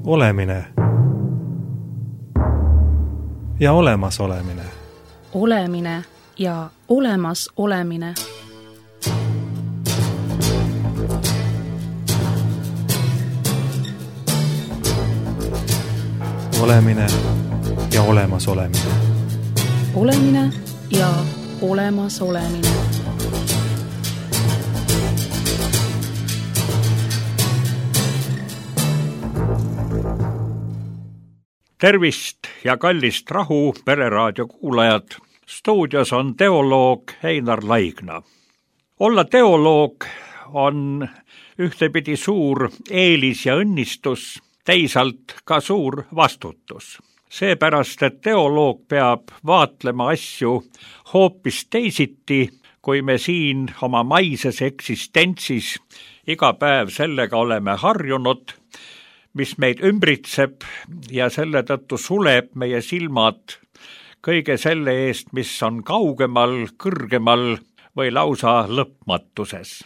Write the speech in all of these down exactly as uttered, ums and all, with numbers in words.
Olemine ja olemas olemine. Olemine ja olemas olemine. Olemine ja olemas olemine. Olemine ja olemas olemine. Tervist ja kallist Rahu Pereraadio kuulajad. Stuudios on teoloog Einar Laigna. Olla teoloog on ühtepidi suur eelis ja õnnistus, teisalt ka suur vastutus. Seepärast, et teoloog peab vaatlema asju hoopis teisiti, kui me siin oma maises eksistentsis iga päev sellega oleme harjunud, mis meid ümbritseb ja selle tõttu suleb meie silmad kõige selle eest, mis on kaugemal, kõrgemal või lausa lõpmatuses.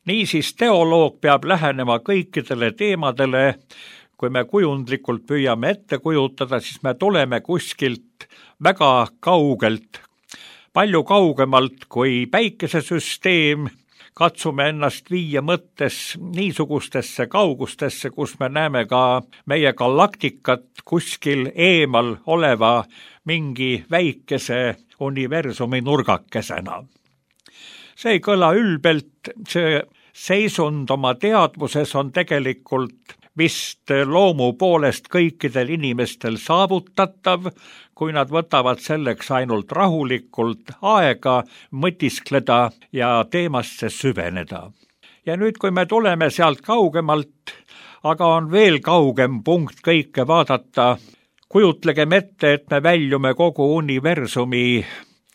Niisiis teoloog peab lähenema kõikidele teemadele, kui me kujundlikult püüame ette kujutada, siis me tuleme kuskilt väga kaugelt, palju kaugemalt kui päikesesüsteem, katsume ennast viia mõttes niisugustesse kaugustesse, kus me näeme ka meie galaktikat kuskil eemal oleva mingi väikese universumi nurgakesena. See ei kõla ülbelt, see seisund oma teadvuses on tegelikult vist loomu poolest kõikidel inimestel saavutatav, kui nad võtavad selleks ainult rahulikult aega mõtiskleda ja teemasse süveneda. Ja nüüd, kui me tuleme sealt kaugemalt, aga on veel kaugem punkt kõike vaadata, kujutlegem ette, et me väljume kogu universumi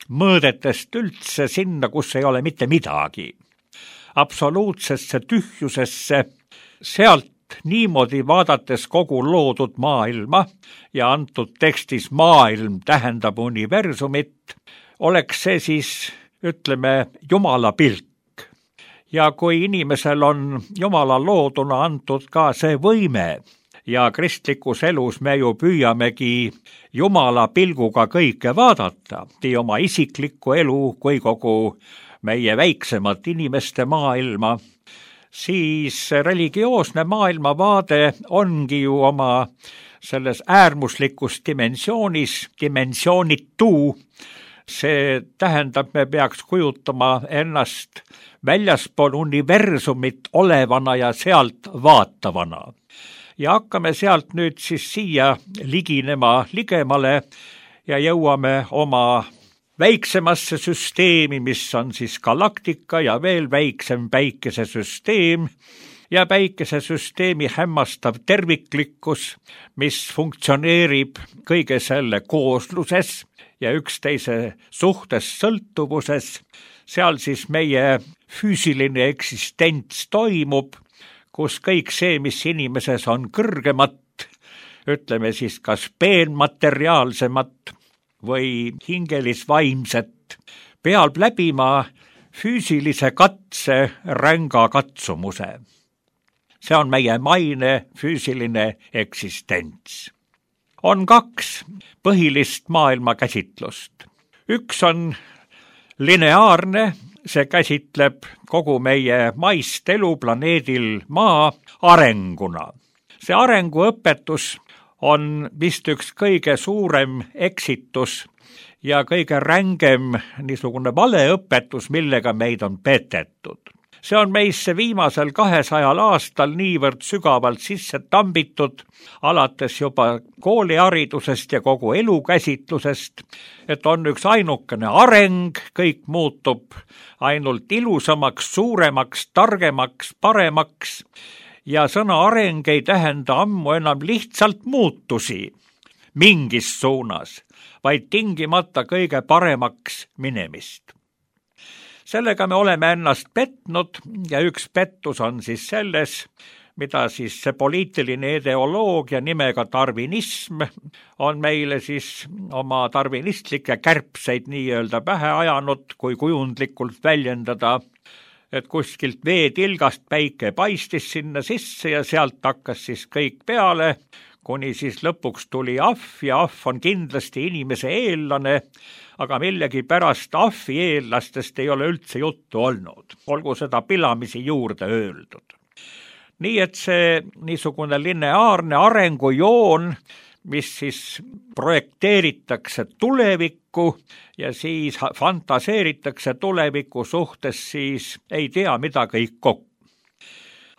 mõõdetest üldse sinna, kus ei ole mitte midagi. Absoluutsesse tühjusesse, sealt niimoodi vaadates kogu loodud maailma ja antud tekstis maailm tähendab universumit, oleks see siis, ütleme, Jumala pilk. Ja kui inimesel on Jumala looduna antud ka see võime ja kristlikus elus me ju püüamegi Jumala pilguga kõike vaadata, nii oma isiklikku elu kui kogu meie väiksemat inimeste maailma, siis religioosne maailmavaade ongi ju oma selles äärmuslikus dimensioonis, dimensioonitu. See tähendab, me peaks kujutama ennast väljaspool universumit olevana ja sealt vaatavana. Ja hakkame sealt nüüd siis siia liginema ligemale ja jõuame oma väiksemasse süsteemi, mis on siis galaktika ja veel väiksem päikesesüsteem ja päikesesüsteemi hämmastav terviklikkus, mis funktsioneerib kõige selle koosluses ja üksteise suhtes sõltuvuses. Seal siis meie füüsiline eksistents toimub, kus kõik see, mis inimeses on kõrgemat, ütleme siis kas peenmateriaalsemat või hingelisvaimset, peab läbima füüsilise katse ränga katsumuse. See on meie maine füüsiline eksistents. On kaks põhilist maailma käsitlust. Üks on lineaarne, see käsitleb kogu meie maist elu planeedil Maa arenguna. See arenguõpetus on vist üks kõige suurem eksitus ja kõige rängem niisugune valeõpetus, millega meid on petetud. See on meisse viimasel kahesajal aastal niivõrd sügavalt sisse tambitud, alates juba kooliharidusest ja kogu elukäsitlusest, et on üks ainukene areng, kõik muutub ainult ilusamaks, suuremaks, targemaks, paremaks, ja sõna areng ei tähenda ammu enam lihtsalt muutusi mingis suunas, vaid tingimata kõige paremaks minemist. Sellega me oleme ennast petnud ja üks pettus on siis selles, mida siis see poliitiline ideoloogia nimega darwinism on meile siis oma darwinistlikke kärpseid nii-öelda pähe ajanud, kui kujundlikult väljendada. et kuskilt veetilgast päike paistis sinna sisse ja sealt hakkas siis kõik peale, kuni siis lõpuks tuli ahv ja ahv on kindlasti inimese eellane, aga millegi pärast ahvi eellastest ei ole üldse juttu olnud, olgu seda pilamisi juurde öeldud. Nii et see niisugune lineaarne arengujoon, mis siis projekteeritakse tulevikku ja siis fantaseeritakse tuleviku suhtes, siis ei tea, mida kõik kokku.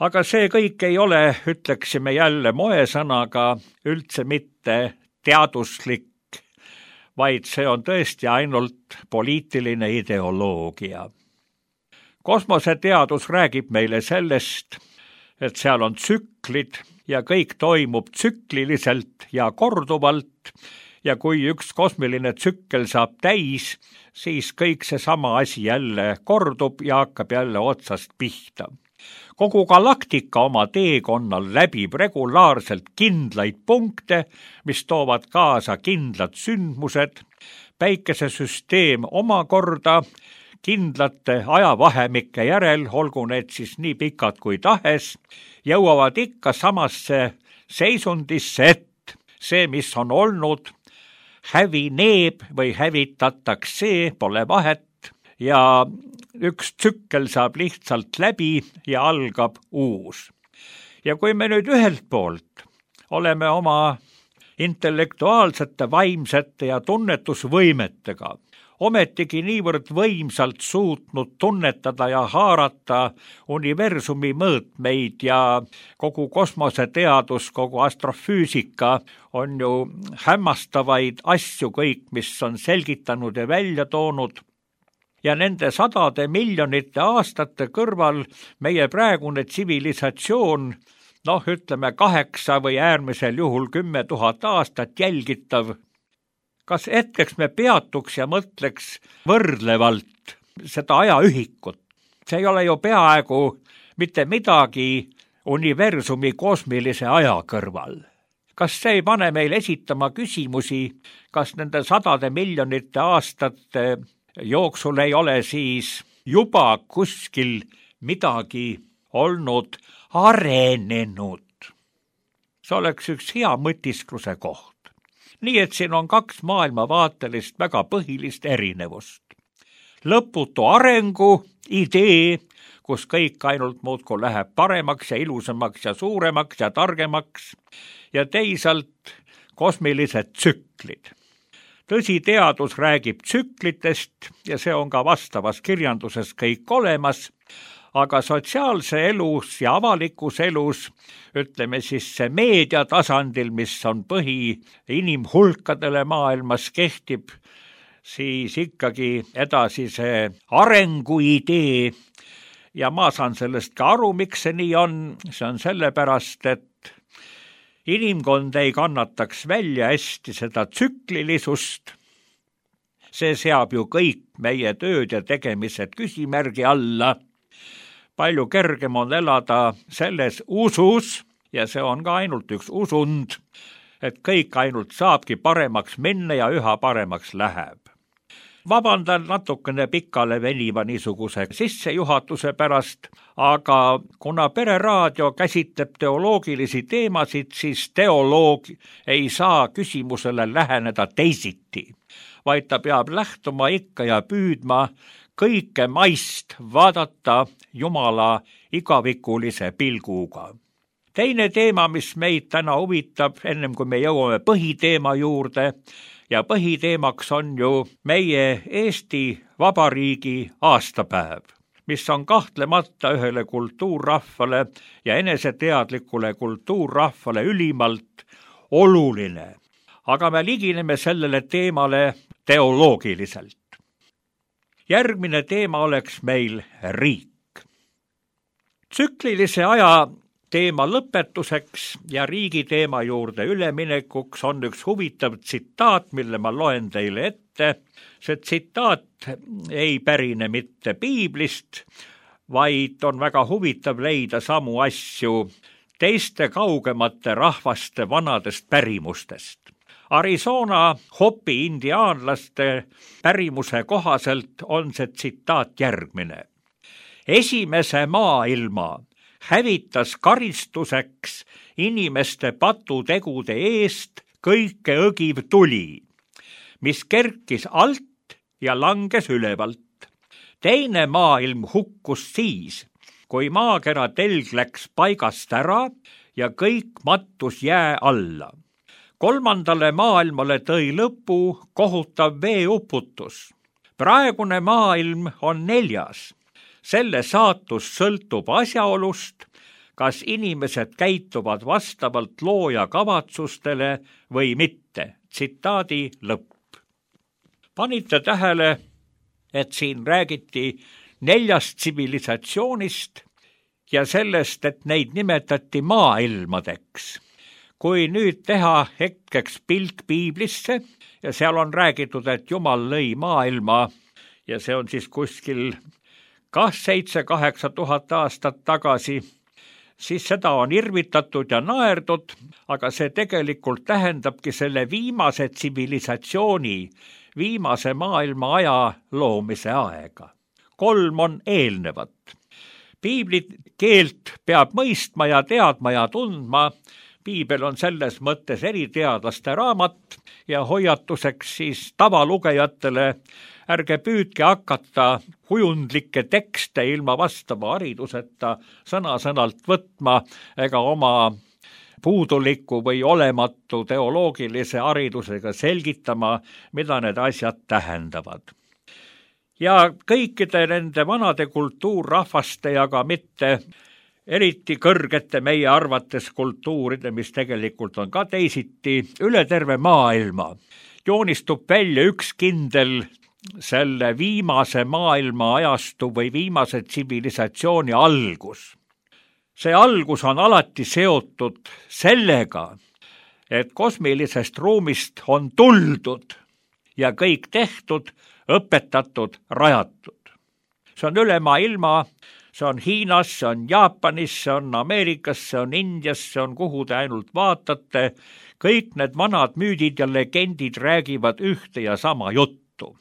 Aga see kõik ei ole, ütleksime jälle moesõnaga, üldse mitte teaduslik, vaid see on tõesti ainult poliitiline ideoloogia. Kosmoseteadus räägib meile sellest, et seal on tsüklid ja kõik toimub tsükliliselt ja korduvalt ja kui üks kosmiline tsükkel saab täis, siis kõik seesama asi jälle kordub ja hakkab jälle otsast pihta. Kogu galaktika oma teekonnal läbib regulaarselt kindlaid punkte, mis toovad kaasa kindlad sündmused, päikesesüsteem omakorda kindlate ajavahemike järel, olgu need siis nii pikad kui tahes, jõuavad ikka samasse seisundisse, et see, mis on olnud, hävineb või hävitatakse, pole vahet, ja üks tsükkel saab lihtsalt läbi ja algab uus. Ja kui me nüüd ühelt poolt oleme oma intellektuaalsete, vaimsete ja tunnetusvõimetega ometigi niivõrd võimsalt suutnud tunnetada ja haarata universumi mõõtmeid ja kogu kosmoseteadus, kogu astrofüüsika on ju hämmastavaid asju kõik, mis on selgitanud ja välja toonud. Ja nende sadade miljonite aastate kõrval meie praegune tsivilisatsioon, noh ütleme kaheksa või äärmisel juhul kümme tuhat aastat jälgitav, kas hetkeks me peatuks ja mõtleks võrdlevalt seda ajaühikut? See ei ole ju peaaegu mitte midagi universumi kosmilise aja kõrval. Kas see ei pane meil esitama küsimusi, kas nende sadade miljonite aastate jooksul ei ole siis juba kuskil midagi olnud arenenud? See oleks üks hea mõtiskluse koht. Nii et siin on kaks maailmavaatelist väga põhilist erinevust. Lõputu arengu idee, kus kõik ainult muudkui läheb paremaks ja ilusamaks ja suuremaks ja targemaks, ja teisalt kosmilised tsüklid. Tõsi, teadus räägib tsüklitest ja see on ka vastavas kirjanduses kõik olemas, aga sotsiaalse elus ja avalikus elus, ütleme siis see meedia tasandil, mis on põhi inimhulkadele maailmas kehtib, siis ikkagi edasi see arenguidee ja ma saan sellest ka aru, miks see nii on. See on sellepärast, et inimkond ei kannataks välja hästi seda tsüklilisust. See seab ju kõik meie tööd ja tegemised küsimärgi alla. Palju kergem on elada selles usus, ja see on ka ainult üks usund, et kõik ainult saabki paremaks minna ja üha paremaks läheb. Vabandan natukene pikale veniva niisuguse sissejuhatuse pärast, aga kuna Pereraadio käsitleb teoloogilisi teemasid, siis teoloog ei saa küsimusele läheneda teisiti, vaid ta peab lähtuma ikka ja püüdma kõike maist vaadata Jumala igavikulise pilguga. Teine teema, mis meid täna huvitab, ennem kui me jõuame põhiteema juurde, ja põhiteemaks on ju meie Eesti Vabariigi aastapäev, mis on kahtlemata ühele kultuurrahvale ja eneseteadlikule kultuurrahvale ülimalt oluline. Aga me ligineme sellele teemale teoloogiliselt. Järgmine teema oleks meil riik. Tsüklilise aja teema lõpetuseks ja riigi teema juurde üleminekuks on üks huvitav tsitaat, mille ma loen teile ette. See tsitaat ei pärine mitte piiblist, vaid on väga huvitav leida samu asju teiste kaugemate rahvaste vanadest pärimustest. Arizona Hopi indiaanlaste pärimuse kohaselt on see tsitaat järgmine. esimese maailma hävitas karistuseks inimeste patutegude eest kõike õgiv tuli, mis kerkis alt ja langes ülevalt. Teine maailm hukkus siis, kui maakera telg läks paigast ära ja kõik mattus jää alla. Kolmandale maailmale tõi lõpu kohutav veeuputus. Praegune maailm on neljas. Selle saatus sõltub asjaolust, kas inimesed käituvad vastavalt looja kavatsustele või mitte. Tsitaadi lõpp. Panite tähele, et siin räägiti neljast tsivilisatsioonist ja sellest, et neid nimetati maailmadeks. Kui nüüd teha hetkeks pilk piiblisse ja seal on räägitud, et Jumal lõi maailma ja see on siis kuskil kas seitse kaheksa tuhat aastat tagasi, siis seda on irvitatud ja naerdud, aga see tegelikult tähendabki selle viimase tsivilisatsiooni, viimase maailma aja loomise aega. Kolm on eelnevat. Piibli keelt peab mõistma ja teadma ja tundma. Piibel on selles mõttes eriteadlaste raamat ja hoiatuseks siis tavalugejatele, ärge püüdke hakata kujundlikke tekste ilma vastava hariduseta sõna-sõnalt võtma ega oma puuduliku või olematu teoloogilise haridusega selgitama, mida need asjad tähendavad. Ja kõikide nende vanade kultuurrahvaste ja ka mitte eriti kõrgete meie arvates kultuuride, mis tegelikult on ka teisiti, üle terve maailma joonistub välja üks kindel selle viimase maailma ajastu või viimase tsivilisatsiooni algus. See algus on alati seotud sellega, et kosmilisest ruumist on tuldud ja kõik tehtud, õpetatud, rajatud. See on üle maailma. See on Hiinas, see on Jaapanis, see on Ameerikas, see on Indias, see on kuhu te ainult vaatate. Kõik need vanad müüdid ja legendid räägivad ühte ja sama juttu.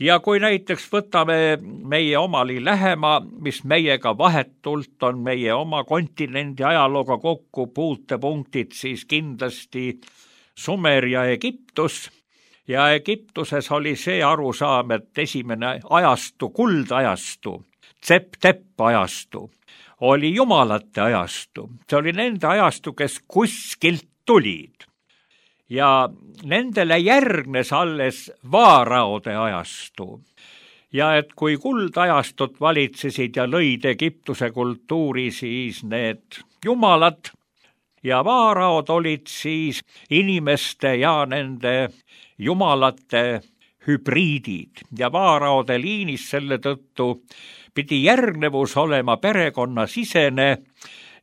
Ja kui näiteks võtame meie omali lähema, mis meiega vahetult on meie oma kontinendi ajalooga kokku puutepunktid, siis kindlasti Sumer ja Egiptus. Ja Egiptuses oli see arusaam, et esimene ajastu, kuldajastu, Tsep-tepp ajastu, oli jumalate ajastu. See oli nende ajastu, kes kuskilt tulid. Ja nendele järgnes alles vaaraode ajastu. Ja et kui kuldajastut valitsesid ja lõid Egiptuse kultuuri, siis need jumalad ja vaaraod olid siis inimeste ja nende jumalate hübriidid. Ja vaaraode liinis selle tõttu pidi järgnevus olema perekonna sisene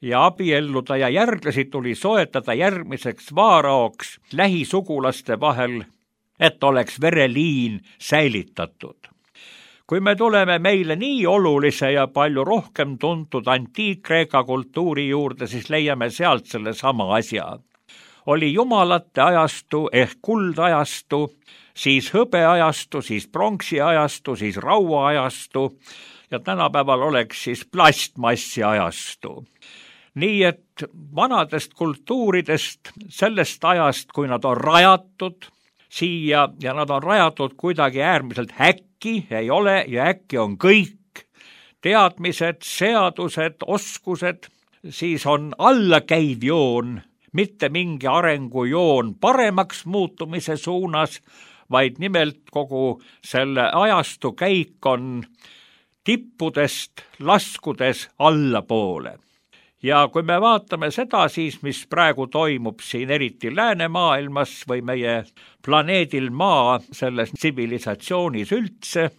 ja abielluda ja järglasi tuli soetada järgmiseks vaaraoks lähisugulaste vahel, et oleks vereliin säilitatud. Kui me tuleme meile nii olulise ja palju rohkem tuntud antiik-Kreeka kultuuri juurde, siis leiame sealt selle sama asja. Oli jumalate ajastu ehk kuldajastu, siis hõbeajastu, siis pronksi ajastu, siis rauaajastu ja tänapäeval oleks siis plastmassi ajastu. Nii et vanadest kultuuridest, sellest ajast, kui nad on rajatud siia ja nad on rajatud kuidagi äärmiselt äkki, ei ole ja äkki on kõik teadmised, seadused, oskused, siis on allakäiv joon, mitte mingi arengujoon paremaks muutumise suunas, vaid nimelt kogu selle ajastu käik on tippudest laskudes allapoole. Ja kui me vaatame seda siis, mis praegu toimub siin eriti läänemaailmas või meie planeedil Maa selles tsivilisatsioonis üldse,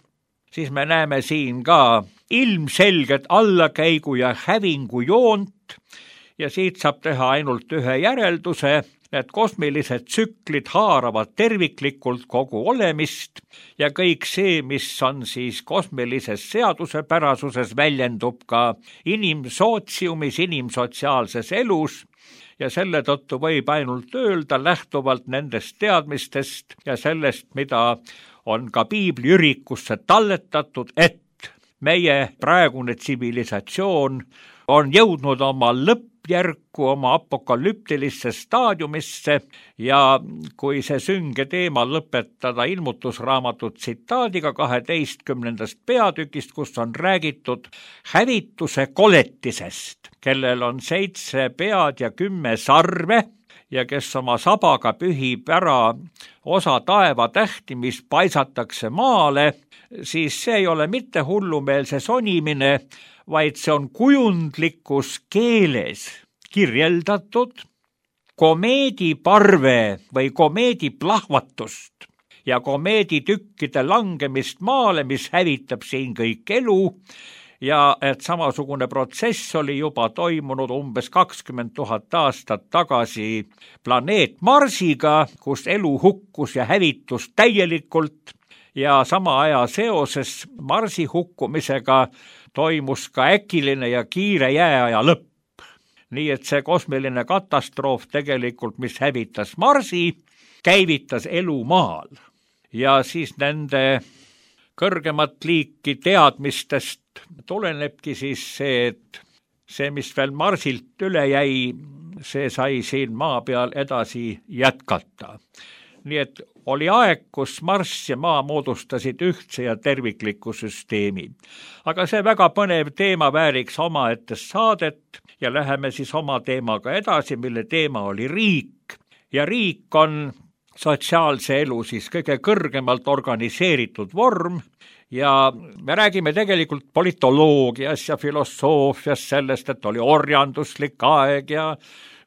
siis me näeme siin ka ilmselget allakäigu ja hävingu joont ja siit saab teha ainult ühe järelduse, et kosmilised tsüklid haaravad terviklikult kogu olemist ja kõik see, mis on siis kosmilises seadusepärasuses, väljendub ka inimsootsiumis, inimsotsiaalses elus ja selle tõttu võib ainult öelda lähtuvalt nendest teadmistest ja sellest, mida on ka piibli ürikusse talletatud, et meie praegune tsivilisatsioon on jõudnud oma lõppjärku, oma apokalüptilisse staadiumisse ja kui see sünge teema lõpetada ilmutusraamatu tsitaadiga kaheteistkümnendast peatükist, kus on räägitud hävituse koletisest, kellel on seitse pead ja kümme sarve ja kes oma sabaga pühib ära osa taevatähti, mis paisatakse maale, siis see ei ole mitte hullumeelse sonimine, vaid see on kujundlikus keeles kirjeldatud komeediparve või komeediplahvatust ja komeeditükkide langemist maale, mis hävitab siin kõik elu, ja et samasugune protsess oli juba toimunud umbes kakskümmend tuhat aastat tagasi planeet Marsiga, kus elu hukkus ja hävitus täielikult ja sama aja seoses Marsi hukkumisega toimus ka äkiline ja kiire jääaja lõpp. Nii et see kosmiline katastroof tegelikult, mis hävitas Marsi, käivitas elu maal. Ja siis nende kõrgemat liiki teadmistest tulenebki siis see, et see, mis veel Marsilt üle jäi, see sai siin maa peal edasi jätkata. Nii et oli aeg, kus Marss ja maa moodustasid ühtse ja tervikliku süsteemi. Aga see väga põnev teema vääriks omaette saadet ja läheme siis oma teemaga edasi, mille teema oli riik. Ja riik on sotsiaalse elu siis kõige kõrgemalt organiseeritud vorm ja me räägime tegelikult politoloogias ja filosoofias sellest, et oli orjanduslik aeg ja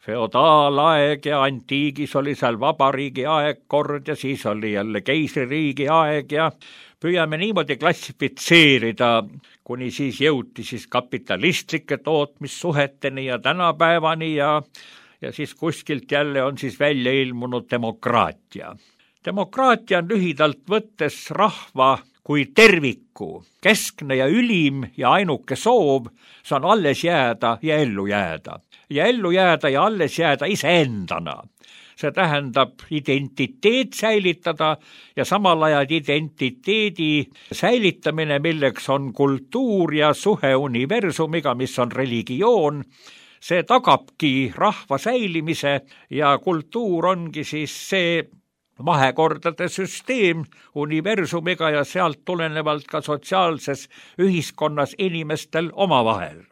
feodaalaeg ja antiigis oli seal vabariigi aeg kord ja siis oli jälle keisririigi aeg ja püüame niimoodi klassifitseerida, kuni siis jõuti siis kapitalistlike tootmissuheteni ja tänapäevani ja, ja siis kuskilt jälle on siis välja ilmunud demokraatia. Demokraatia on lühidalt võttes rahva kui terviku, keskne ja ülim ja ainuke soov, see on alles jääda ja ellu jääda. Ja ellu jääda ja alles jääda iseendana. See tähendab identiteet säilitada ja samal ajal identiteedi säilitamine, milleks on kultuur ja suhe universumiga, mis on religioon. See tagabki rahva säilimise ja kultuur ongi siis see vahekordade süsteem universumiga ja sealt tulenevalt ka sotsiaalses ühiskonnas inimestel omavahel.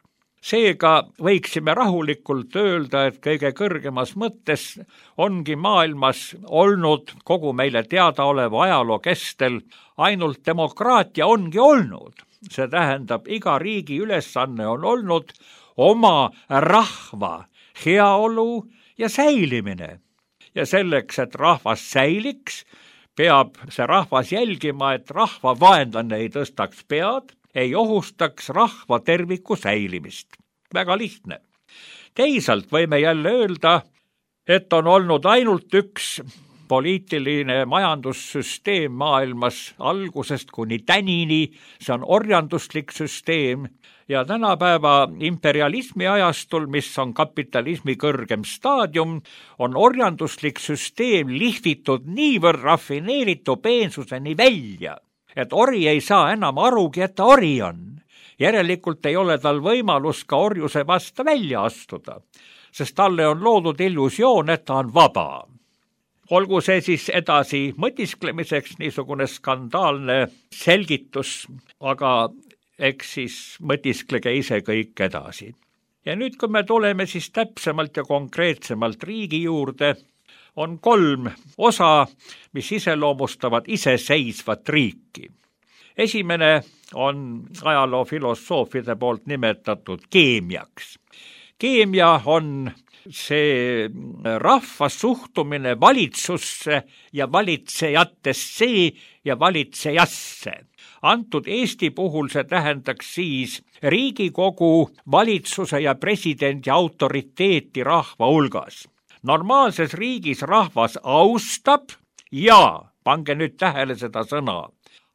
Seega võiksime rahulikult öelda, et kõige kõrgemas mõttes ongi maailmas olnud kogu meile teadaoleva ajaloo kestel ainult demokraatia ongi olnud. See tähendab, iga riigi ülesanne on olnud oma rahva heaolu ja säilimine. Ja selleks, et rahvas säiliks, peab see rahvas jälgima, et rahva vaenlane ei tõstaks pead, ei ohustaks rahva terviku säilimist. Väga lihtne. Teisalt võime jälle öelda, et on olnud ainult üks poliitiline majandussüsteem maailmas algusest kuni tänini, see on orjanduslik süsteem ja tänapäeva imperialismi ajastul, mis on kapitalismi kõrgem staadium, on orjanduslik süsteem lihvitud niivõrd rafineeritu peensuseni välja, et ori ei saa enam arugi, et ta ori on. Järelikult ei ole tal võimalus ka orjuse vasta välja astuda, sest talle on loodud illusioon, et ta on vaba. Olgu see siis edasi mõtisklemiseks niisugune skandaalne selgitus, aga eks siis mõtisklege ise kõik edasi. Ja nüüd, kui me tuleme siis täpsemalt ja konkreetsemalt riigi juurde, on kolm osa, mis iseloomustavad iseseisvat riiki. Esimene on ajaloofilosoofide poolt nimetatud keemiaks. Keemia on see rahva suhtumine valitsusse ja valitsejatesse ja valitsejasse. Antud Eesti puhul see tähendaks siis Riigikogu, valitsuse ja presidendi autoriteeti rahva hulgas. Normaalses riigis rahvas austab ja, pange nüüd tähele seda sõna,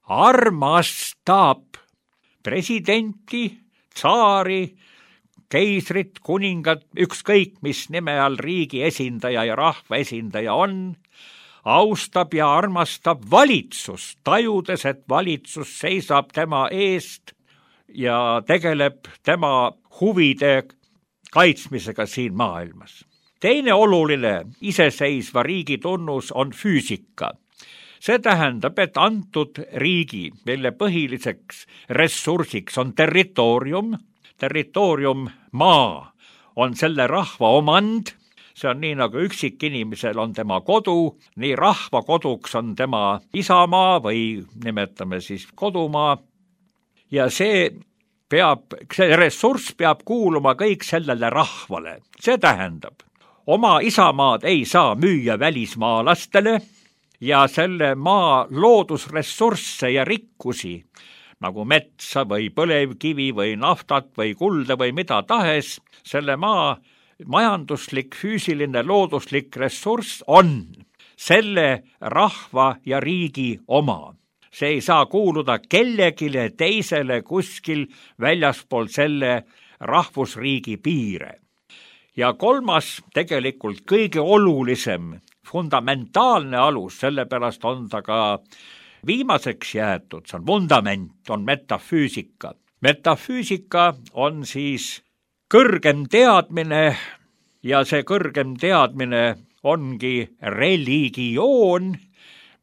armastab presidenti, tsaari, keisrit, kuningat, ükskõik mis nime all riigi esindaja ja rahva esindaja on, austab ja armastab valitsust, tajudes, et valitsus seisab tema eest ja tegeleb tema huvide kaitsmisega siin maailmas. Teine oluline iseseisva riigi tunnus on füüsika. See tähendab, et antud riigi, mille põhiliseks ressursiks on territoorium, territoorium maa on selle rahva omand, see on nii nagu üksikinimesel on tema kodu, nii rahva koduks on tema isamaa või nimetame siis kodumaa ja see peab, see ressurss peab kuuluma kõik sellele rahvale. See tähendab, oma isamaad ei saa müüa välismaalastele ja selle maa loodusressursse ja rikkusi, nagu metsa või põlevkivi või naftat või kulda või mida tahes, selle maa majanduslik, füüsiline, looduslik ressurss on selle rahva ja riigi oma. See ei saa kuuluda kellegile teisele kuskil väljaspool selle rahvusriigi piire. Ja kolmas, tegelikult kõige olulisem, fundamentaalne alus, sellepärast on ta ka viimaseks jäetud, see on vundament, on metafüüsika. Metafüüsika on siis kõrgem teadmine ja see kõrgem teadmine ongi religioon,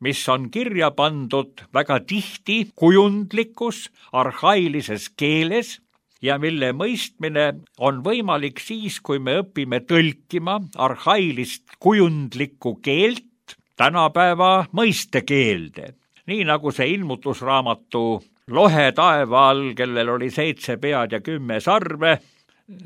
mis on kirja pandud väga tihti kujundlikus, arhailises keeles ja mille mõistmine on võimalik siis, kui me õpime tõlkima arhailist kujundlikku keelt tänapäeva mõistekeelde. Nii nagu see ilmutusraamatu Lohe taeva all, kellel oli seitse pead ja kümme sarve,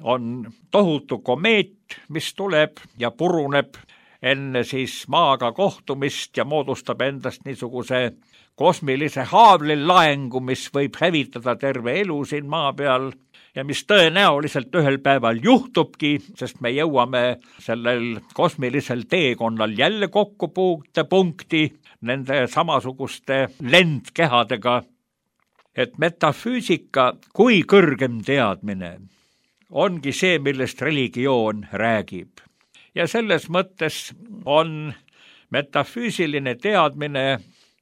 on tohutu komeet, mis tuleb ja puruneb enne siis maaga kohtumist ja moodustab endast niisuguse kosmilise haavlilaengu, mis võib hävitada terve elu siin maa peal ja mis tõenäoliselt ühel päeval juhtubki, sest me jõuame sellel kosmilisel teekonnal jälle kokku punkti nende samasuguste lendkehadega, et metafüüsika kui kõrgem teadmine ongi see, millest religioon räägib. Ja selles mõttes on metafüüsiline teadmine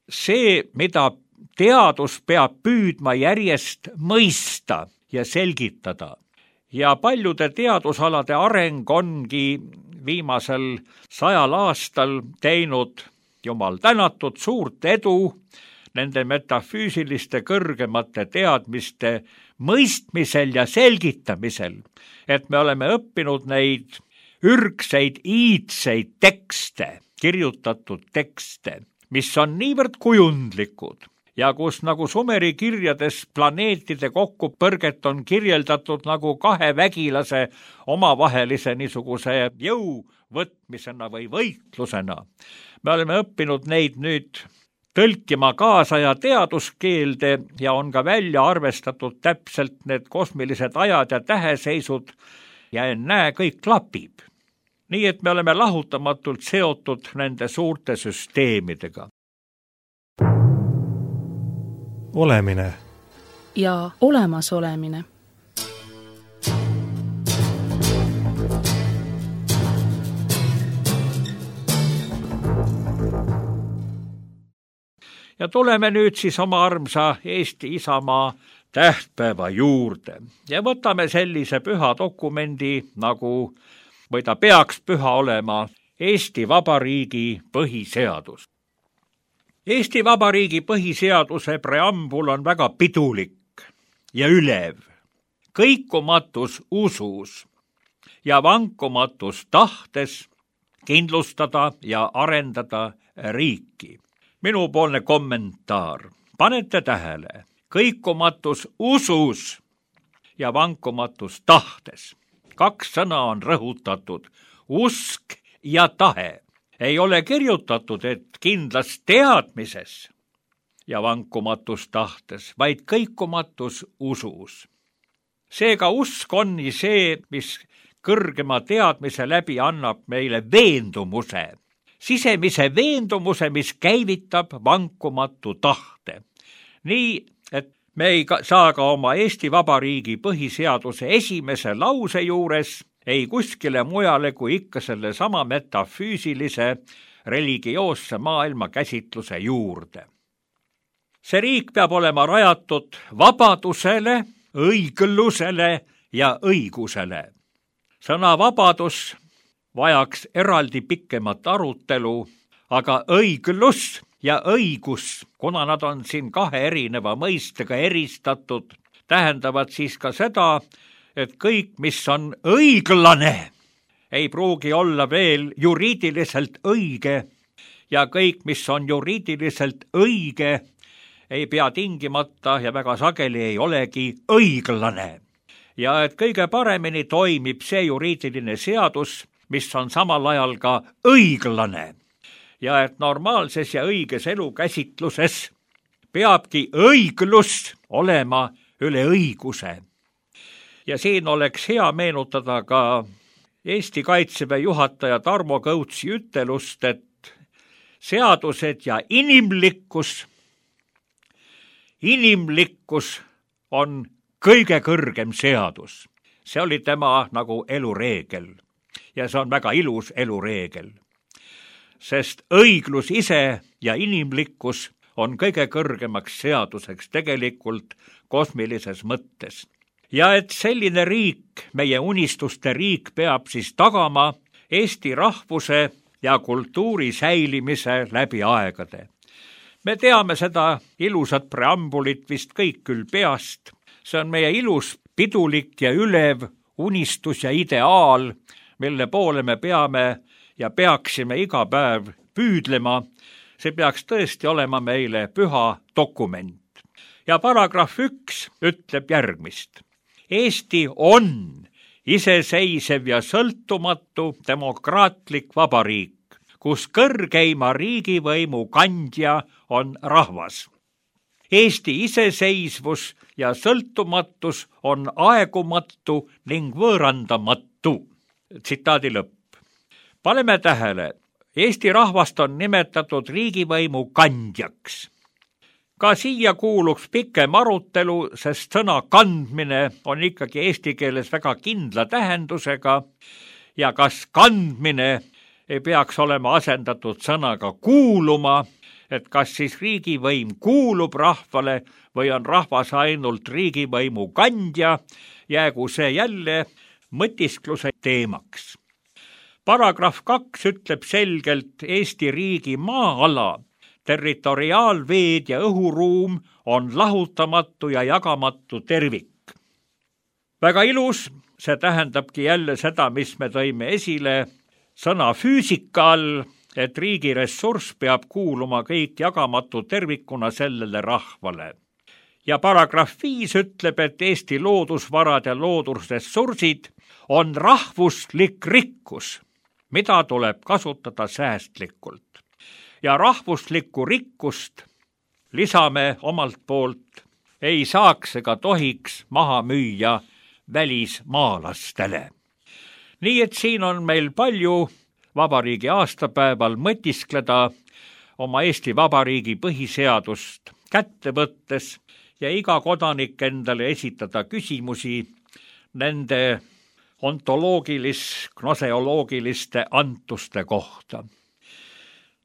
see, mida teadus peab püüdma järjest mõista ja selgitada. Ja paljude teadusalade areng ongi viimasel sajal aastal teinud, jumal tänatud, suurt edu nende metafüüsiliste kõrgemate teadmiste mõistmisel ja selgitamisel, et me oleme õppinud neid ürgseid, iidseid tekste, kirjutatud tekste, mis on niivõrd kujundlikud ja kus nagu Sumeri kirjades planeetide kokkupõrget on kirjeldatud nagu kahe vägilase omavahelise niisuguse jõuvõtmisena või võitlusena. Me oleme õppinud neid nüüd tõlkima kaasa ja teaduskeelde ja on ka välja arvestatud täpselt need kosmilised ajad ja täheseisud ja ennäe, kõik klapib. Nii et me oleme lahutamatult seotud nende suurte süsteemidega. Olemine ja olemasolemine. Ja tuleme nüüd siis oma armsa Eesti isamaa tähtpäeva juurde ja võtame sellise püha dokumendi, nagu või ta peaks püha olema, Eesti Vabariigi põhiseadus. Eesti Vabariigi põhiseaduse preambul on väga pidulik ja ülev, kõikumatus usus ja vankumatus tahtes kindlustada ja arendada riiki. Minupoolne kommentaar. Panete tähele, kõikumatus usus ja vankumatus tahtes. Kaks sõna on rõhutatud, usk ja tahe. Ei ole kirjutatud, et kindlas teadmises ja vankumatus tahtes, vaid kõikumatus usus. Seega usk on see, mis kõrgema teadmise läbi annab meile veendumuse, sisemise veendumuse, mis käivitab vankumatu tahte. Nii, et me ei saa ka oma Eesti Vabariigi põhiseaduse esimese lause juures ei kuskile mujale kui ikka selle sama metafüüsilise religioosse maailma käsitluse juurde. See riik peab olema rajatud vabadusele, õiglusele ja õigusele. Sõna vabadus vajaks eraldi pikemat arutelu, aga õiglus ja õigus, kuna nad on siin kahe erineva mõistega eristatud, tähendavad siis ka seda, et kõik, mis on õiglane, ei pruugi olla veel juriidiliselt õige ja kõik, mis on juriidiliselt õige, ei pea tingimata ja väga sageli ei olegi õiglane. Ja et kõige paremini toimib see juriidiline seadus, mis on samal ajal ka õiglane. Ja et normaalses ja õiges elukäsitluses peabki õiglus olema üle õiguse. Ja siin oleks hea meenutada ka Eesti Kaitseväe juhataja Tarmo Kõutsi ütelust, et seadused ja inimlikkus, inimlikkus on kõige kõrgem seadus. See oli tema nagu elureegel ja see on väga ilus elureegel. Sest õiglus ise ja inimlikkus on kõige kõrgemaks seaduseks tegelikult kosmilises mõttes. Ja et selline riik, meie unistuste riik, peab siis tagama Eesti rahvuse ja kultuuri säilimise läbi aegade. Me teame seda ilusat preambulit vist kõik küll peast. See on meie ilus, pidulik ja ülev unistus ja ideaal, mille poole me peame ja peaksime iga päev püüdlema. See peaks tõesti olema meile püha dokument. Ja paragrahv üks ütleb järgmist. Eesti on iseseisev ja sõltumatu demokraatlik vabariik, kus kõrgeima riigivõimu kandja on rahvas. Eesti iseseisvus ja sõltumatus on aegumatu ning võõrandamatu. Tsitaadi lõpp. Paneme tähele, Eesti rahvast on nimetatud riigivõimu kandjaks. Ka siia kuuluks pikem arutelu, sest sõna kandmine on ikkagi eesti keeles väga kindla tähendusega ja kas kandmine ei peaks olema asendatud sõnaga kuuluma, et kas siis riigivõim kuulub rahvale või on rahvas ainult riigivõimu kandja, jäägu see jälle mõtiskluse teemaks. Paragrahv kaks ütleb selgelt Eesti riigi maa-ala, territoriaalveed ja õhuruum on lahutamatu ja jagamatu tervik. Väga ilus, see tähendabki jälle seda, mis me tõime esile sõna füüsika all, et riigi ressurss peab kuuluma kõik jagamatu tervikuna sellele rahvale. Ja paragrahv viis ütleb, et Eesti loodusvarad ja loodusressursid on rahvuslik rikkus, mida tuleb kasutada säästlikult. Ja rahvuslikku rikkust lisame omalt poolt, ei saaks ega tohiks maha müüa välismaalastele. Nii et siin on meil palju vabariigi aastapäeval mõtiskleda oma Eesti Vabariigi põhiseadust kätte võttes ja iga kodanik endale esitada küsimusi nende ontoloogilis, gnoseoloogiliste antuste kohta.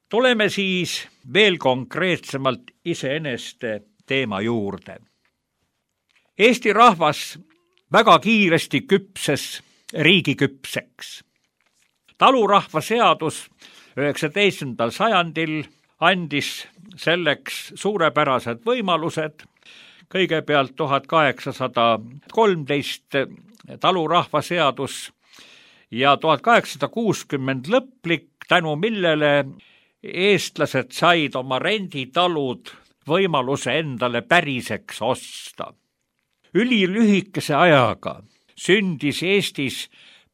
Tuleme siis veel konkreetsemalt iseeneste teema juurde. Eesti rahvas väga kiiresti küpses riigiküpseks. Talurahva seadus üheksateistkümnendal sajandil andis selleks suurepärased võimalused. Kõigepealt tuhat kaheksasada kolmteist talurahva seadus ja tuhat kaheksasada kuuskümmend lõplik, tänu millele eestlased said oma renditalud võimaluse endale päriseks osta. Ülilühikese ajaga sündis Eestis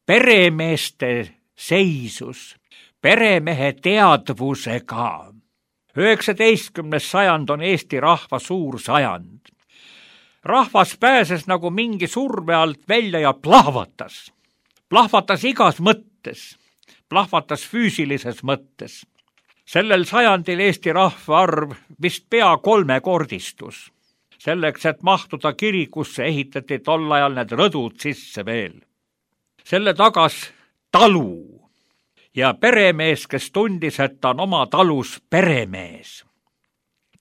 peremeeste seisus, peremehe teadvusega. üheksateistkümnes sajand on Eesti rahva suur sajand. Rahvas pääses nagu mingi surve alt välja ja plahvatas. Plahvatas igas mõttes, plahvatas füüsilises mõttes. Sellel sajandil Eesti rahva arv vist pea kolmekordistus. Selleks, et mahtuda kirikusse, ehitati tol ajal need rõdud sisse veel. Selle tagas talu ja peremees, kes tundis, et ta on oma talus peremees.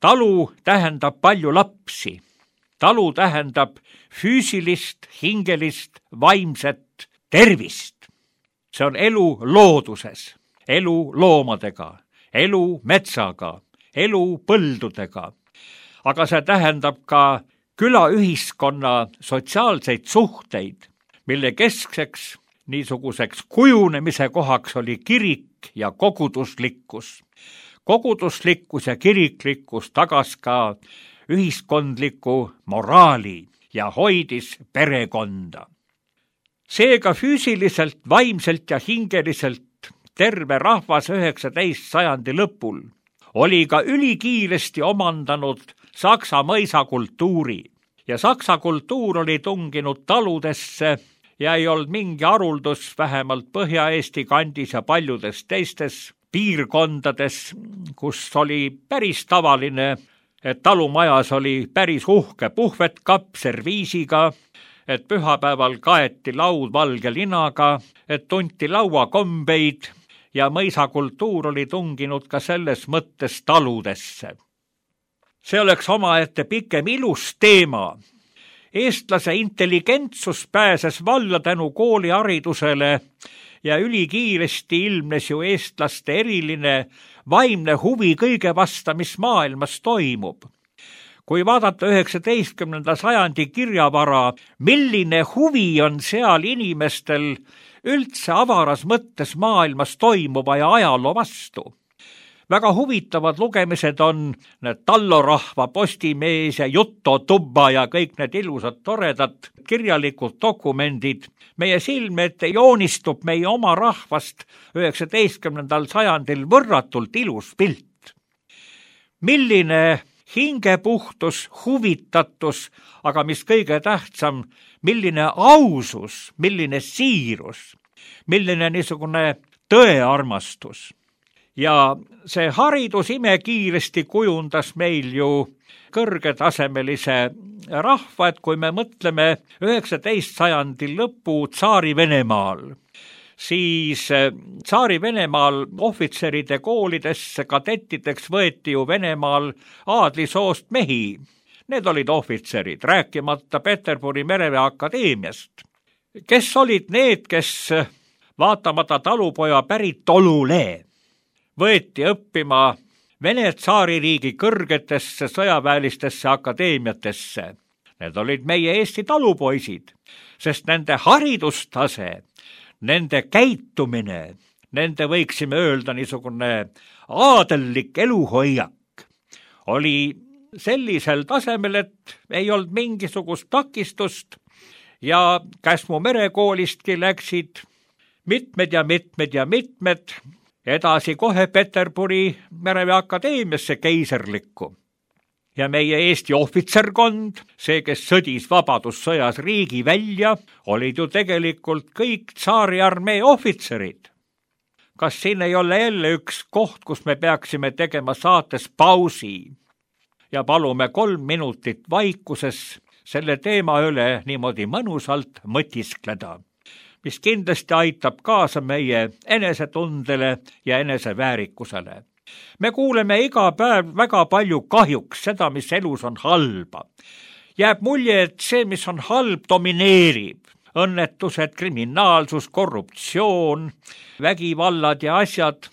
Talu tähendab palju lapsi talu tähendab füüsilist, hingelist, vaimset tervist. See on elu looduses, elu loomadega, elu metsaga, elu põldudega. Aga see tähendab ka külaühiskonna sotsiaalseid suhteid, mille keskseks niisuguseks kujunemise kohaks oli kirik ja koguduslikkus. Koguduslikkus ja kiriklikkus tagas ka ühiskondliku moraali ja hoidis perekonda. Seega füüsiliselt, vaimselt ja hingeliselt terve rahvas üheksateist sajandi lõpul oli ka ülikiiresti omandanud saksa mõisakultuuri ja saksa kultuur oli tunginud taludesse ja ei olnud mingi haruldus vähemalt Põhja-Eesti kandis ja paljudes teistes piirkondades, kus oli päris tavaline, et talumajas oli päris uhke puhvetkapp serviisiga, et pühapäeval kaeti laud valge linaga, et tunti lauakombeid ja mõisakultuur oli tunginud ka selles mõttes taludesse. See oleks omaette pikem ilus teema. Eestlase intelligentsus pääses valla tänu kooliharidusele ja ülikiiresti ilmnes ju eestlaste eriline vaimne huvi kõige vasta, mis maailmas toimub. Kui vaadata üheksateistkümnenda sajandi kirjavara, milline huvi on seal inimestel üldse avaras mõttes maailmas toimuva ja ajaloo vastu. Väga huvitavad lugemised on need Tallorahva, Postimees ja Jutotubba ja kõik need ilusad toredad kirjalikud dokumendid. Meie silme ette joonistub meie oma rahvast üheksateistkümnendal sajandil võrratult ilus pilt. Milline hingepuhtus, huvitatus, aga mis kõige tähtsam, milline ausus, milline siirus, milline niisugune tõearmastus. Ja see haridus imekiiresti kujundas meil ju kõrgetasemelise rahva, et kui me mõtleme üheksateist sajandi lõpu Tsaari-Venemaal, siis Tsaari-Venemaal ohvitseride koolidesse kadettideks võeti ju Venemaal aadlisoost mehi. Need olid ohvitserid, rääkimata Peterburi mereväe akadeemiast. Kes olid need, kes vaatamata talupoja päritolule võeti õppima Vene tsaaririigi kõrgetesse sõjaväelistesse akadeemiatesse? Need olid meie Eesti talupoisid, sest nende haridustase, nende käitumine, nende võiksime öelda niisugune aadellik eluhoiak oli sellisel tasemel, et ei olnud mingisugust takistust ja Käsmu merekoolistki läksid mitmed ja mitmed ja mitmed edasi kohe Peterburi mereväe akadeemiasse keiserlikku. Ja meie Eesti ohvitserkond, see, kes sõdis vabadussõjas riigi välja, olid ju tegelikult kõik tsaariarmee ohvitserid. Kas siin ei ole jälle üks koht, kus me peaksime tegema saates pausi ja palume kolm minutit vaikuses selle teema üle niimoodi mõnusalt mõtiskleda, mis kindlasti aitab kaasa meie enesetundele ja eneseväärikusele. Me kuuleme iga päev väga palju kahjuks seda, mis elus on halba. Jääb mulje, et see, mis on halb, domineerib. Õnnetused, kriminaalsus, korruptsioon, vägivallad ja asjad.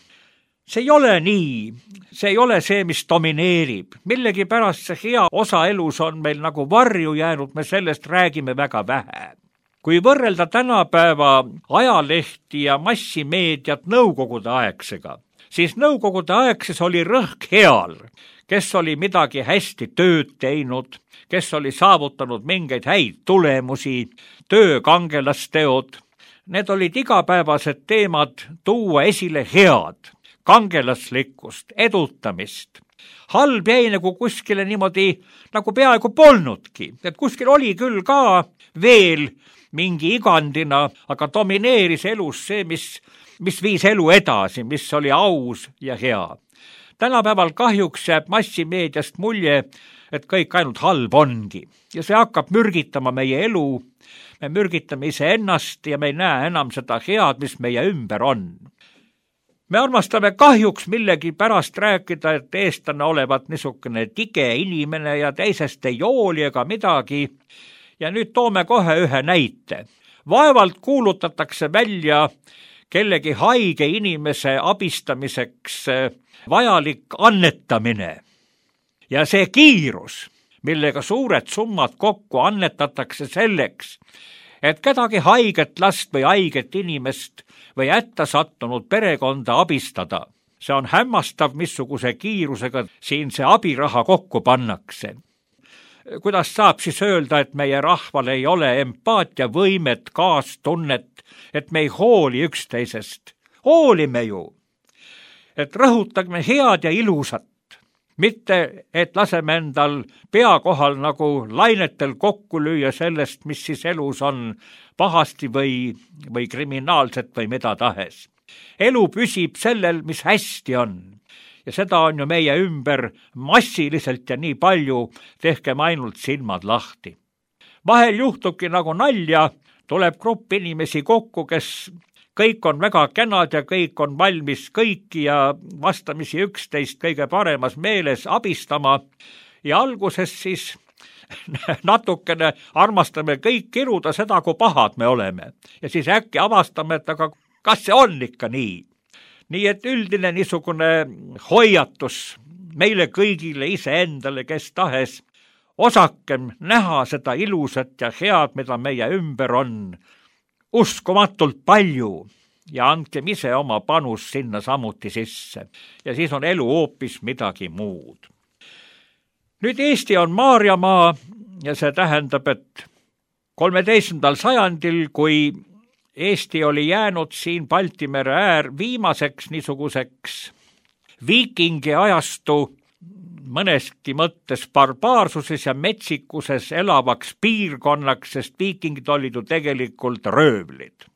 See ei ole nii. See ei ole see, mis domineerib. Millegi pärast see hea osa elus on meil nagu varju jäänud, me sellest räägime väga vähe. Kui võrrelda tänapäeva ajalehti ja massimeediat nõukogude aegsega, siis nõukogude aegses oli rõhk heal, kes oli midagi hästi tööd teinud, kes oli saavutanud mingeid häid tulemusi, töökangelasteod. Need olid igapäevased teemad tuua esile head, kangelaslikkust, edutamist. Halb jäi nagu kuskile niimoodi nagu peaaegu polnudki, et kuskil oli küll ka veel mingi igandina, aga domineeris elus see, mis, mis viis elu edasi, mis oli aus ja hea. Tänapäeval kahjuks jääb massimeediast mulje, et kõik ainult halb ongi ja see hakkab mürgitama meie elu, me mürgitame iseennast ja me ei näe enam seda head, mis meie ümber on. Me armastame kahjuks millegi pärast rääkida, et eestlane olevat niisugune tige inimene ja teisest ei jooli ega midagi. Ja nüüd toome kohe ühe näite. Vaevalt kuulutatakse välja kellegi haige inimese abistamiseks vajalik annetamine. Ja see kiirus, millega suured summad kokku annetatakse selleks, et kedagi haiget last või haiget inimest või hätta sattunud perekonda abistada. See on hämmastav, missuguse kiirusega siin see abiraha kokku pannakse. Kuidas saab siis öelda, et meie rahval ei ole empaatia võimet, kaastunnet, et me ei hooli üksteisest? Hoolime ju, et rõhutagme head ja ilusat, mitte et laseme endal pea kohal nagu lainetel kokku lüüa sellest, mis siis elus on pahasti või, või kriminaalset või mida tahes. Elu püsib sellel, mis hästi on. Ja seda on ju meie ümber massiliselt ja nii palju, tehkem ainult silmad lahti. Vahel juhtubki nagu nalja, tuleb grupp inimesi kokku, kes kõik on väga kenad ja kõik on valmis kõiki ja vastamisi üksteist kõige paremas meeles abistama. Ja alguses siis natukene armastame kõik kiruda seda, kui pahad me oleme. Ja siis äkki avastame, et aga kas see on ikka nii? Nii et üldine niisugune hoiatus meile kõigile iseendale, kes tahes, osakem näha seda ilusat ja head, mida meie ümber on, uskumatult palju ja andkem ise oma panus sinna samuti sisse. Ja siis on elu hoopis midagi muud. Nüüd Eesti on Maarjamaa ja see tähendab, et kolmeteistkümnendal sajandil, kui Eesti oli jäänud siin Balti mere äär viimaseks niisuguseks viikingi ajastu mõneski mõttes barbaarsuses ja metsikuses elavaks piirkonnaks, sest viikingid olid ju tegelikult röövlid.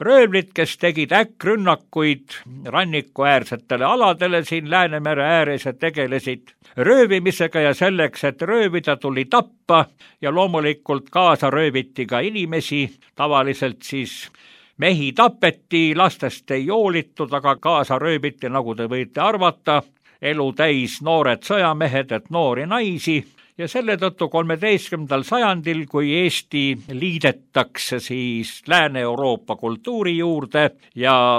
Röövlid, kes tegid äkkrünnakuid rannikuäärsetele aladele siin Läänemere ääres ja tegelesid röövimisega ja selleks, et röövida, tuli tappa ja loomulikult kaasa rööviti ka inimesi. Tavaliselt siis mehi tapeti, lastest ei joolitud, aga kaasa rööviti, nagu te võite arvata, elu täis noored sõjamehed, et noori naisi. Ja selle tõttu kolmeteistkümnendal sajandil, kui Eesti liidetakse siis Lääne-Euroopa kultuuri juurde ja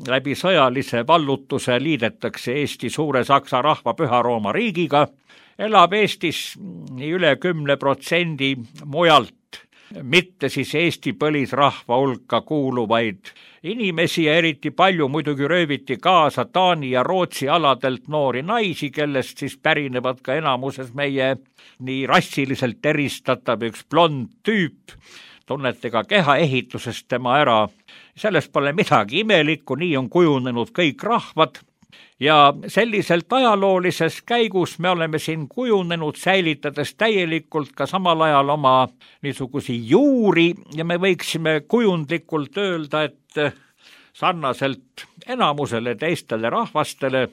läbi sõjalise vallutuse liidetakse Eesti suure Saksa rahva Püha Rooma riigiga, elab Eestis nii üle kümne protsendi mujalt, mitte siis Eesti põlisrahva hulka kuuluvaid inimesi ja eriti palju muidugi rööviti kaasa Taani ja Rootsi aladelt noori naisi, kellest siis pärinevad ka enamuses meie nii rassiliselt eristatav üks blond tüüp. Tunnete ka kehaehitusest tema ära. Sellest pole midagi imelikku, nii on kujunenud kõik rahvad. Ja selliselt ajaloolises käigus me oleme siin kujunenud, säilitades täielikult ka samal ajal oma niisugusi juuri ja me võiksime kujundlikult öelda, et sarnaselt enamusele teistele rahvastele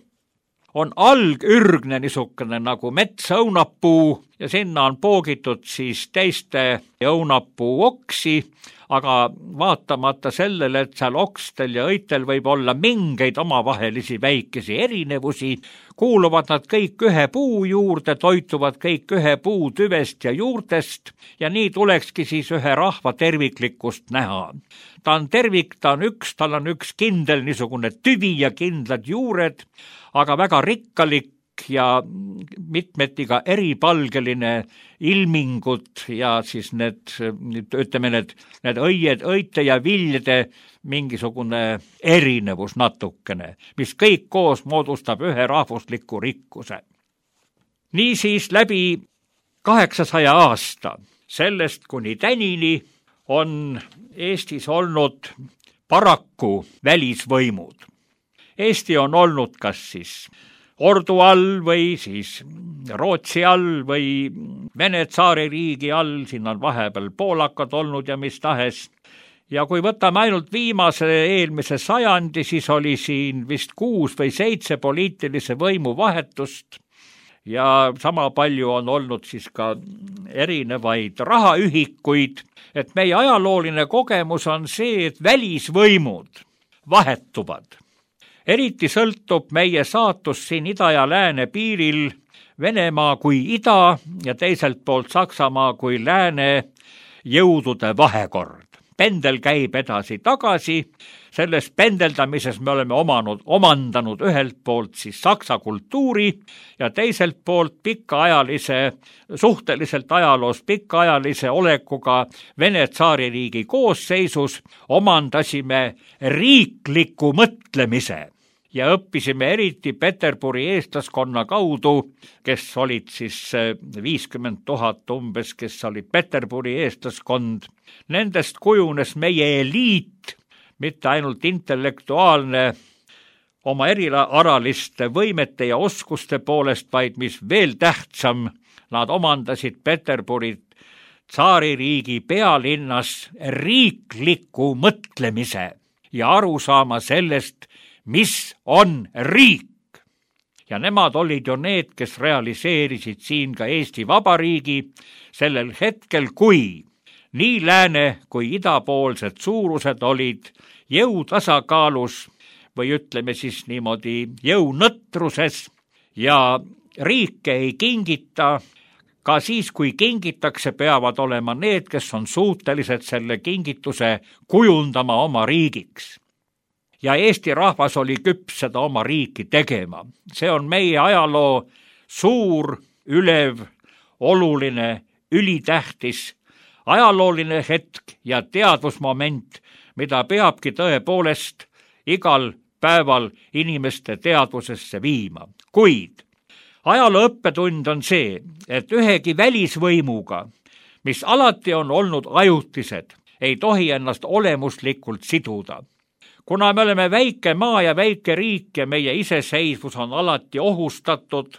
on algürgne niisugune nagu metsõunapuu ja sinna on poogitud siis teiste õunapuu oksi, aga vaatamata sellele, et seal okstel ja õitel võib olla mingeid omavahelisi väikesi erinevusi, kuuluvad nad kõik ühe puu juurde, toituvad kõik ühe puu tüvest ja juurtest ja nii tulekski siis ühe rahva terviklikkust näha. Ta on tervik, ta on üks, tal on üks kindel niisugune tüvi ja kindlad juured, aga väga rikkalik ja mitmeti ka eripalgeline ilmingud ja siis need, ütleme need, need õied, õite ja viljade mingisugune erinevus natukene, mis kõik koos moodustab ühe rahvusliku rikkuse. Niisiis läbi kaheksasaja aasta, sellest kuni tänini on Eestis olnud paraku välisvõimud. Eesti on olnud kas siis Ordu all või siis Rootsi all või Vene tsaaririigi all, siin on vahepeal poolakad olnud ja mis tahes. Ja kui võtame ainult viimase eelmise sajandi, siis oli siin vist kuus või seitse poliitilise võimu vahetust ja sama palju on olnud siis ka erinevaid rahaühikuid, et meie ajalooline kogemus on see, et välisvõimud vahetuvad. eriti sõltub meie saatus siin ida ja lääne piiril Venemaa kui ida ja teiselt poolt Saksamaa kui lääne jõudude vahekord. Pendel käib edasi-tagasi, selles pendeldamises me oleme omanud, omandanud ühelt poolt siis saksa kultuuri ja teiselt poolt pikaajalise, suhteliselt ajaloos pikaajalise olekuga Vene tsaaririigi koosseisus omandasime riikliku mõtlemise ja õppisime eriti Peterburi eestlaskonna kaudu, kes olid siis viiskümmend tuhat umbes, kes olid Peterburi eestlaskond. Nendest kujunes meie eliit, mitte ainult intellektuaalne oma eriaraliste võimete ja oskuste poolest, vaid mis veel tähtsam, nad omandasid Peterburi tsaaririigi pealinnas riikliku mõtlemise ja aru saama sellest, mis on riik. Ja nemad olid ju need, kes realiseerisid siin ka Eesti Vabariigi sellel hetkel, kui nii lääne kui idapoolsed suurused olid jõutasakaalus või ütleme siis niimoodi jõunõtruses ja riike ei kingita, ka siis, kui kingitakse, peavad olema need, kes on suutelised selle kingituse kujundama oma riigiks. Ja Eesti rahvas oli küps seda oma riiki tegema. See on meie ajaloo suur, ülev, oluline, ülitähtis, ajalooline hetk ja teadvusmoment, mida peabki tõepoolest igal päeval inimeste teadvusesse viima. Kuid ajaloo õppetund on see, et ühegi välisvõimuga, mis alati on olnud ajutised, ei tohi ennast olemuslikult siduda. Kuna me oleme väike maa ja väike riik ja meie iseseisvus on alati ohustatud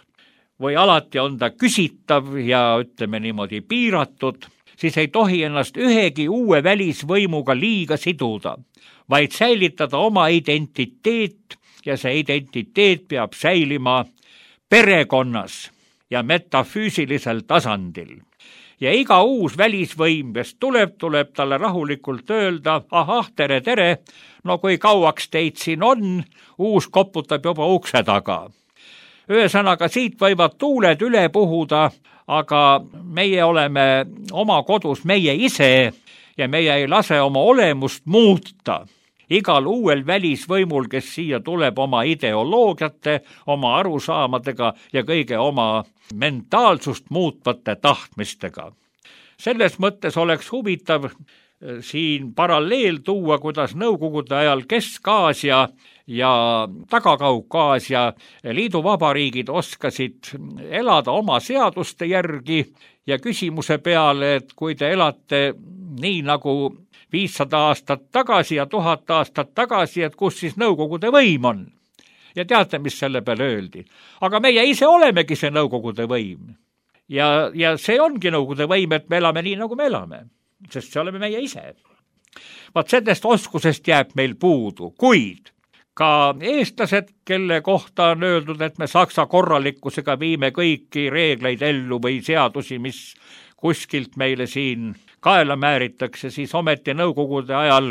või alati on ta küsitav ja ütleme niimoodi piiratud, siis ei tohi ennast ühegi uue välisvõimuga liiga siduda, vaid säilitada oma identiteet ja see identiteet peab säilima perekonnas ja metafüüsilisel tasandil. Ja iga uus välisvõim, kes tuleb, tuleb talle rahulikult öelda, ahah, tere, tere, no kui kauaks teid siin on, uus koputab juba ukse taga. Ühesõnaga, siit võivad tuuled üle puhuda, aga meie oleme oma kodus meie ise ja meie ei lase oma olemust muuta. Igal uuel välisvõimul, kes siia tuleb oma ideoloogiate, oma arusaamadega ja kõige oma mentaalsust muutvate tahtmistega. Selles mõttes oleks huvitav siin paralleel tuua, kuidas Nõukogude ajal Kesk-Aasia ja Taga-Kaukaasia liiduvabariigid oskasid elada oma seaduste järgi ja küsimuse peale, et kui te elate nii nagu viissada aastat tagasi ja tuhat aastat tagasi, et kus siis Nõukogude võim on. Ja teate, mis selle peale öeldi? Aga meie ise olemegi see Nõukogude võim. Ja, ja see ongi Nõukogude võim, et me elame nii, nagu me elame, sest see oleme meie ise. Vaat sellest oskusest jääb meil puudu, kuid ka eestlased, kelle kohta on öeldud, et me saksa korralikkusega viime kõiki reegleid ellu või seadusi, mis kuskilt meile siin kaela määritakse, siis ometi Nõukogude ajal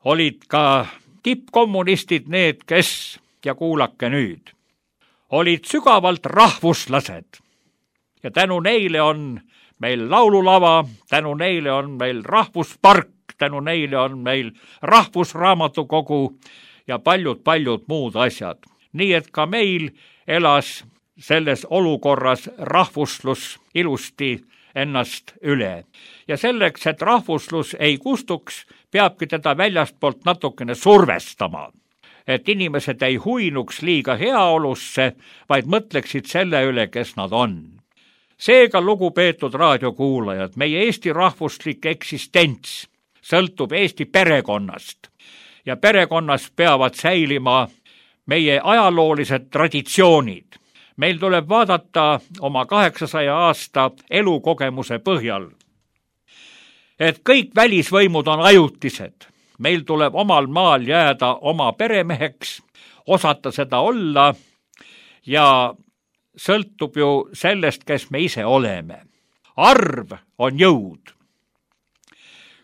olid ka tippkommunistid need, kes, ja kuulake nüüd, olid sügavalt rahvuslased. Ja tänu neile on meil laululava, tänu neile on meil rahvuspark, tänu neile on meil rahvusraamatukogu ja paljud-paljud muud asjad. Nii et ka meil elas selles olukorras rahvuslus ilusti ennast üle. Ja selleks, et rahvuslus ei kustuks, peabki teda väljastpoolt natukene survestama, et inimesed ei huinuks liiga heaolusse, vaid mõtleksid selle üle, kes nad on. Seega, lugupeetud raadiokuulajad, meie Eesti rahvuslik eksistents sõltub Eesti perekonnast ja perekonnas peavad säilima meie ajaloolised traditsioonid. Meil tuleb vaadata oma kaheksasaja aasta elukogemuse põhjal, et kõik välisvõimud on ajutised. Meil tuleb omal maal jääda oma peremeheks, osata seda olla ja sõltub ju sellest, kes me ise oleme. Arv on jõud.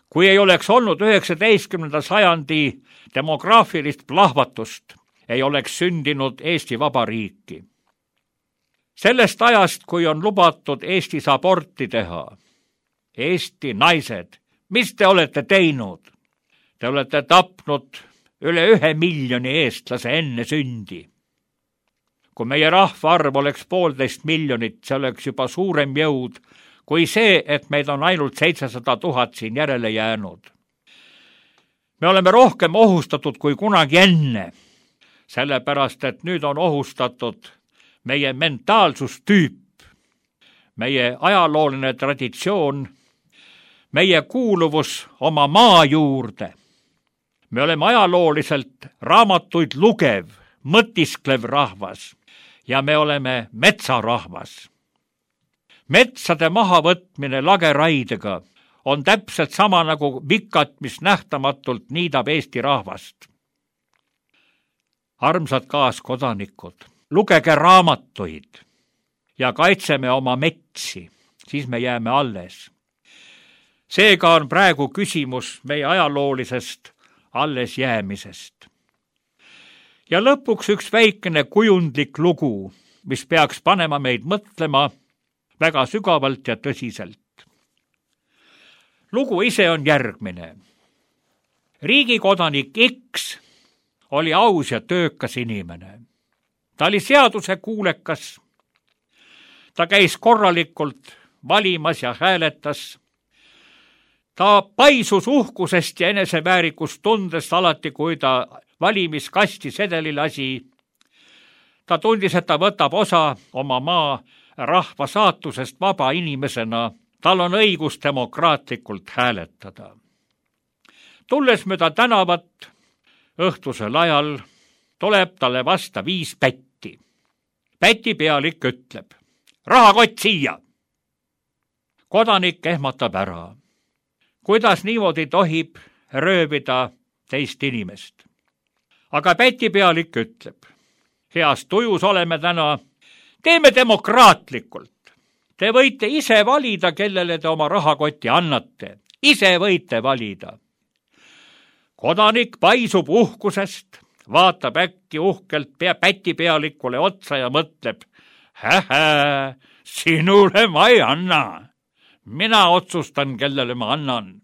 Kui ei oleks olnud üheksateistkümnenda sajandi demograafilist plahvatust ei oleks sündinud Eesti Vabariiki. Sellest ajast, kui on lubatud Eestis aborti teha, Eesti naised, mis te olete teinud? Te olete tapnud üle ühe miljoni eestlase enne sündi. Kui meie rahvaarv oleks poolteist miljonit, see oleks juba suurem jõud kui see, et meid on ainult seitsesada tuhat siin järele jäänud. Me oleme rohkem ohustatud kui kunagi enne, sellepärast et nüüd on ohustatud meie mentaalsustüüp, meie ajalooline traditsioon, meie kuuluvus oma maa juurde. Me oleme ajalooliselt raamatuid lugev, mõtisklev rahvas ja me oleme metsarahvas. Metsade mahavõtmine lageraidega on täpselt sama nagu vikat, mis nähtamatult niidab Eesti rahvast. Armsad kaaskodanikud, lugege raamatuid ja kaitseme oma metsi, siis me jääme alles. Seega on praegu küsimus meie ajaloolisest alles jäämisest. Ja lõpuks üks väikene kujundlik lugu, mis peaks panema meid mõtlema väga sügavalt ja tõsiselt. Lugu ise on järgmine. Riigikodanik X oli aus ja töökas inimene. Ta oli seaduse kuulekas. Ta käis korralikult valimas ja hääletas. Ta paisus uhkusest ja eneseväärikust tundest alati, kui ta valimiskasti sedeli lasi. Ta tundis, et ta võtab osa oma maa rahva saatusest vaba inimesena. Tal on õigus demokraatlikult hääletada. Tulles mööda tänavat õhtusel ajal, tuleb talle vasta viis pätti. Päti pealik ütleb, rahakott siia. Kodanik ehmatab ära. Kuidas niimoodi tohib röövida teist inimest? Aga päti pealik ütleb, heas tujus oleme täna, teeme demokraatlikult. Te võite ise valida, kellele te oma rahakotti annate. Ise võite valida. Kodanik paisub uhkusest, vaatab äkki uhkelt pea päti pealikule otsa ja mõtleb, hä-hä, sinule ma ei anna. Mina otsustan, kellele ma annan.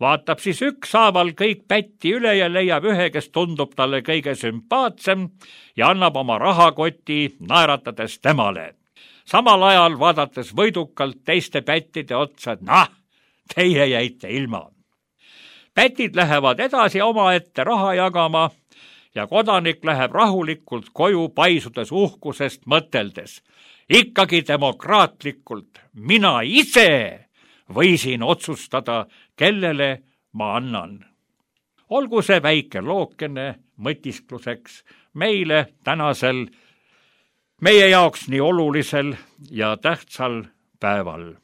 Vaatab siis ükshaaval kõik pätti üle ja leiab ühe, kes tundub talle kõige sümpaatsem ja annab oma rahakoti naeratades temale. Samal ajal vaadates võidukalt teiste pättide otsa, et nah, teie jäite ilma. Pätid lähevad edasi omaette raha jagama ja kodanik läheb rahulikult koju paisudes uhkusest mõteldes. Ikkagi demokraatlikult mina ise võisin otsustada, kellele ma annan. Olgu see väike lookene mõtiskluseks meile tänasel meie jaoks nii olulisel ja tähtsal päeval.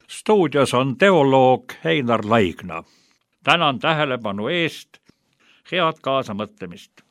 Stuudios on teoloog Heinar Laigna. Tänan tähelepanu eest, head kaasamõtlemist.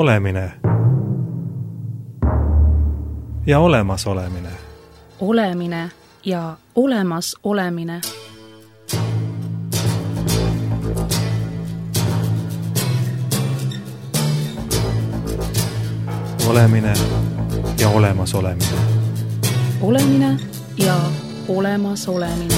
Olemine ja olemas olemine. Olemine ja olemas olemine. Olemine ja olemas olemine. Olemine ja olemas olemine.